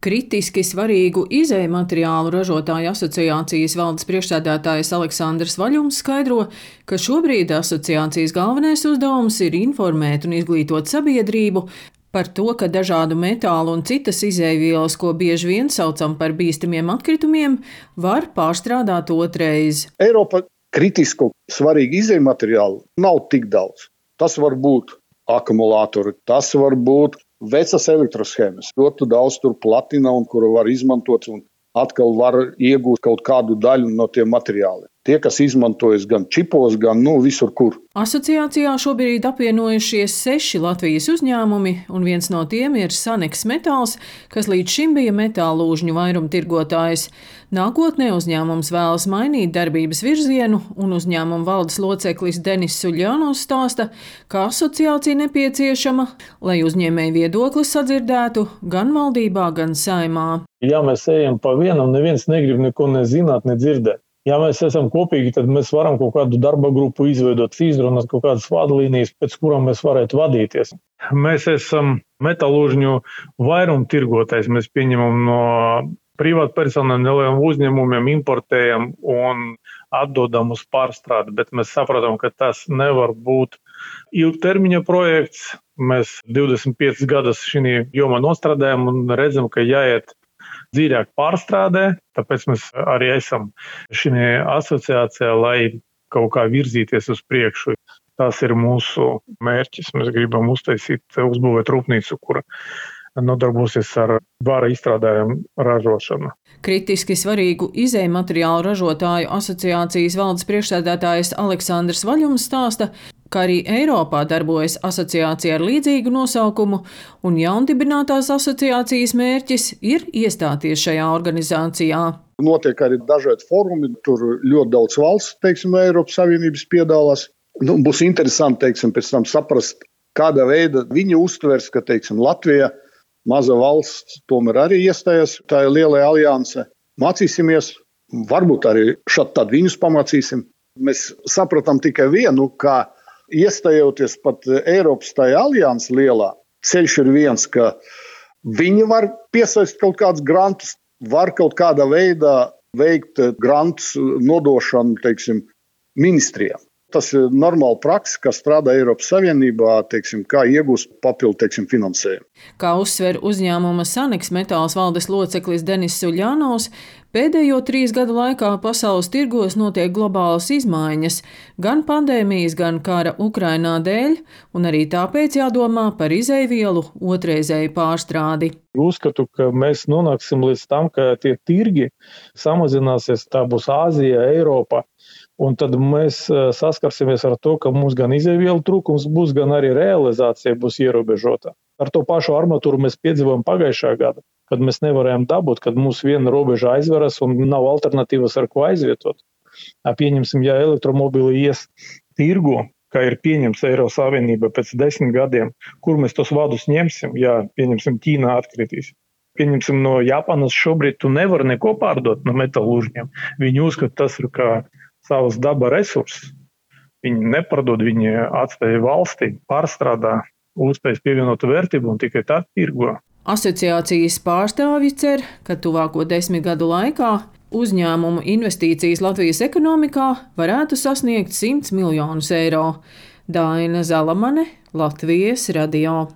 Kritiski svarīgu izejmateriālu ražotāju asociācijas valdes priekšsēdētājs Aleksandrs Vaļums skaidro, ka šobrīd asociācijas galvenais uzdevums ir informēt un izglītot sabiedrību par to, ka dažādu metālu un citas izejvielas, ko bieži vien saucam par bīstamiem atkritumiem, var pārstrādāt otrais. Eiropa kritisku svarīgu izejmateriālu nav tik daudz. Tas var būt akumulātori, tas var būt vecas elektroshēmas, ļoti daudz tur platina, un kuru var izmantot un atkal var iegūt kaut kādu daļu no tiem materiāliem. Tie, kas izmantojas gan čipos, gan visur, kur. Asociācijā šobrīd apvienojušies 6 Latvijas uzņēmumi, un viens no tiem ir Saneks Metāls, kas līdz šim bija metālūžņu vairumtirgotājs. Nākotnē uzņēmums vēlas mainīt darbības virzienu, un uzņēmuma valdes loceklis Denis Suļļānos stāsta, ka asociācija nepieciešama, lai uzņēmēju viedoklis sadzirdētu gan valdībā, gan Saeimā. Ja mēs ejam pa vienam, neviens negrib neko nezināt, nedzirdēt. Ja mēs esam kopīgi, tad mēs varam kaut kādu darba grupu izveidot, izrunāt kaut kādas vadlīnijas, pēc kurām mēs varētu vadīties. Mēs esam metālūžņu vairumtirgotājs. Mēs pieņemam no privātpersonām, nelieliem uzņēmumiem, importējam un atdodam uz pārstrādi, bet mēs saprotam, ka tas nevar būt ilgtermiņa projekts. Mēs 25 gadus šī jomā nostrādājam un redzam, ka jāiet dziļāk pārstrādē, tāpēc mēs arī esam šī asociācijā, lai kaut kā virzīties uz priekšu. Tas ir mūsu mērķis. Mēs gribam uzbūvēt rūpnīcu, kura nodarbosies ar vara izstrādājumu ražošanu. Kritiski svarīgu izejmateriālu ražotāju asociācijas valdes priekšsēdētājs Aleksandrs Vaļums stāsta, ka arī Eiropā darbojas asociācija ar līdzīgu nosaukumu, un jaundibinātās asociācijas mērķis ir iestāties šajā organizācijā. Notiek arī dažādi fórumi, tur ļoti daudz valsts, Eiropas Savienības piedalās. Būs interesanti, pēc tam saprast, kāda veida viņi uztvers, ka, Latvija, maza valsts, tomēr arī iestājas tā lielajā aliansē. Mācīsimies, varbūt arī šad tad viņus pamācīsim. Mēs sapratām tikai vienu, ka iestājoties pat Eiropas tajā alianses lielā, ceļš ir viens, ka viņi var piesaistīt kaut kādus grantus, var kaut kādā veidā veikt grantus nodošanu, ministrijām. Tas ir normāla praksa, kas strādā Eiropas Savienībā, kā iegūst papildu finansējumu. Kā uzsver uzņēmuma Saneks Metāls valdes loceklis Denis Suļļānos, pēdējo 3 gadu laikā pasaules tirgos notiek globālas izmaiņas, gan pandēmijas, gan kara Ukrainā dēļ, un arī tāpēc jādomā par izejvielu otrreizēju pārstrādi. Uzskatu, ka mēs nonāksim līdz tam, ka tie tirgi samazināsies, tā būs Āzija, Eiropa. Un tad mēs saskarsimies ar to, ka mums gan izejvielu trūkums būs, gan arī realizācija būs ierobežota. Ar to pašu armatūru mēs piedzīvojam pagājušā gada, kad mēs nevarējām dabūt, kad mums viena robeža aizveras un nav alternatīvas, ar ko aizvietot. Pieņemsim, ja elektromobili ies tirgu, kā ir pieņems Eiropas Savienība pēc 10 gadiem, kur mēs tos vadus ņemsim, ja, pieņemsim, Ķīnā atkritīs. Pieņemsim, no Japānas šobrīd tu nevar neko pārdot no metālūžņiem. Viņi uzskata, tas ir kā savas daba resursus. Viņi nepārdod, viņi atstāja valstī, pārstrādā, uzspējas pievienotu vērtību un tikai tad tirgo. Asociācijas pārstāvji cer, ka tuvāko 10 gadu laikā uzņēmumu investīcijas Latvijas ekonomikā varētu sasniegt 100 miljonus eiro. Daina Zalamane, Latvijas radio.